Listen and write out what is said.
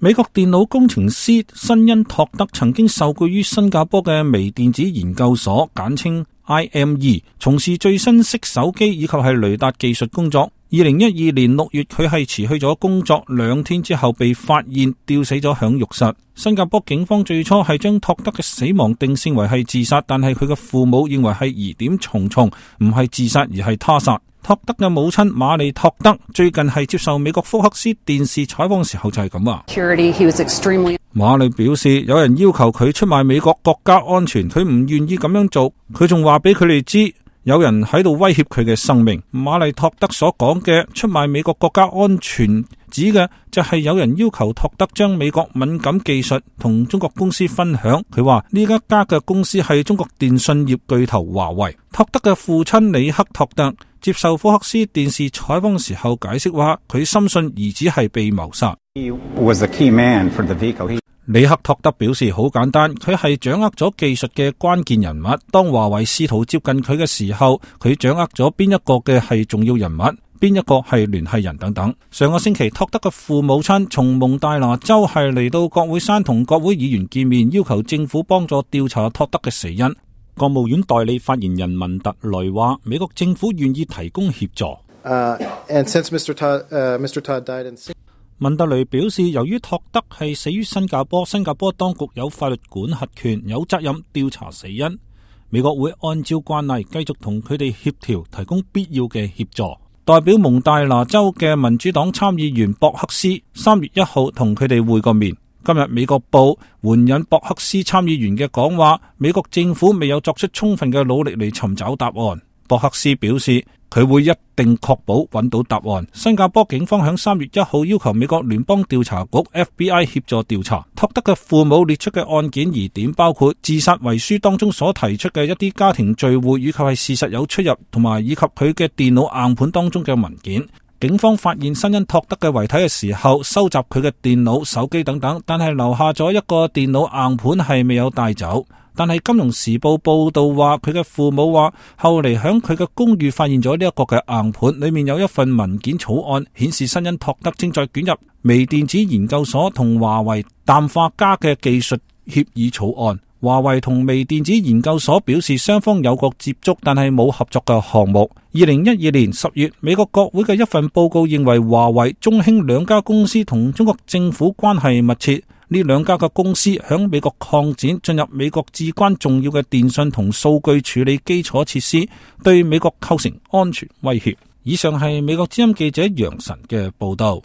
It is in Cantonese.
美國電腦工程師辛恩托德曾經受雇於新加坡嘅微電子研究所，簡稱 IME， 從事最新式手機以及係雷達技術工作。2012年6月，佢係辭去咗工作2天之後被發現吊死咗響浴室。新加坡警方最初係將托德嘅死亡定性為係自殺，但係佢嘅父母認為係疑點重重，唔係自殺而係他殺。托德嘅母親瑪麗托德最近係接受美國福克斯電視採訪嘅時候就係咁話。瑪麗表示，有人要求佢出賣美國國家安全，佢唔願意咁樣做。佢仲話俾佢哋知，有人喺度威脅佢嘅生命。瑪麗托德所講嘅出賣美國國家安全，指嘅就係有人要求托德將美國敏感技術同中國公司分享。佢話呢一家嘅公司係中國電信業巨頭華為。托德嘅父親李克托德接受福克斯電視採訪嘅時候解釋話，佢深信兒子係被謀殺。李克托德表示好簡單，佢係掌握咗技術嘅關鍵人物。當華為試圖接近佢嘅時候，佢掌握咗邊一個嘅係重要人物，邊一個係聯繫人等等。上個星期，托德嘅父母親從蒙大拿州係嚟到國會山同國會議員見面，要求政府幫助調查托德嘅死因。國務院代理發言人文特雷話，美國政府願意提供協助。文特雷表示，由於托德係死於新加坡，新加坡當局有法律管轄權，有責任調查死因。美國會按照慣例繼續同佢哋協調，提供必要嘅協助。代表蒙大拿州嘅民主黨參議員博克斯3月1號同佢哋會過面。今日美國報援引博克斯參議員嘅講話，美國政府未有作出充分嘅努力嚟尋找答案。博克斯表示，佢會一定確保揾到答案。新加坡警方響3月1號要求美國聯邦調查局 FBI 協助調查托德嘅父母列出嘅案件疑點，包括自殺遺書當中所提出嘅一啲家庭聚會，以及係事實有出入，同埋以及佢嘅電腦硬盤當中嘅文件。警方發現辛恩托德嘅遺體嘅時候，收集佢嘅電腦、手機等等，但係留下咗一個電腦硬盤係未有帶走。但係《金融時報》報道話，佢嘅父母話後嚟響佢嘅公寓發現咗呢一個嘅硬盤，裏面有一份文件草案，顯示辛恩托德正在捲入微電子研究所同華為氮化鎵嘅技術協議草案。華為同微電子研究所表示雙方有過接觸，但係冇合作嘅項目。2012年10月，美國國會嘅一份報告認為華為、中興兩家公司同中國政府關係密切。呢兩家嘅公司響美國擴展，進入美國至關重要嘅電信同數據處理基礎設施，對美國構成安全威脅。以上係美國之音記者楊晨嘅報道。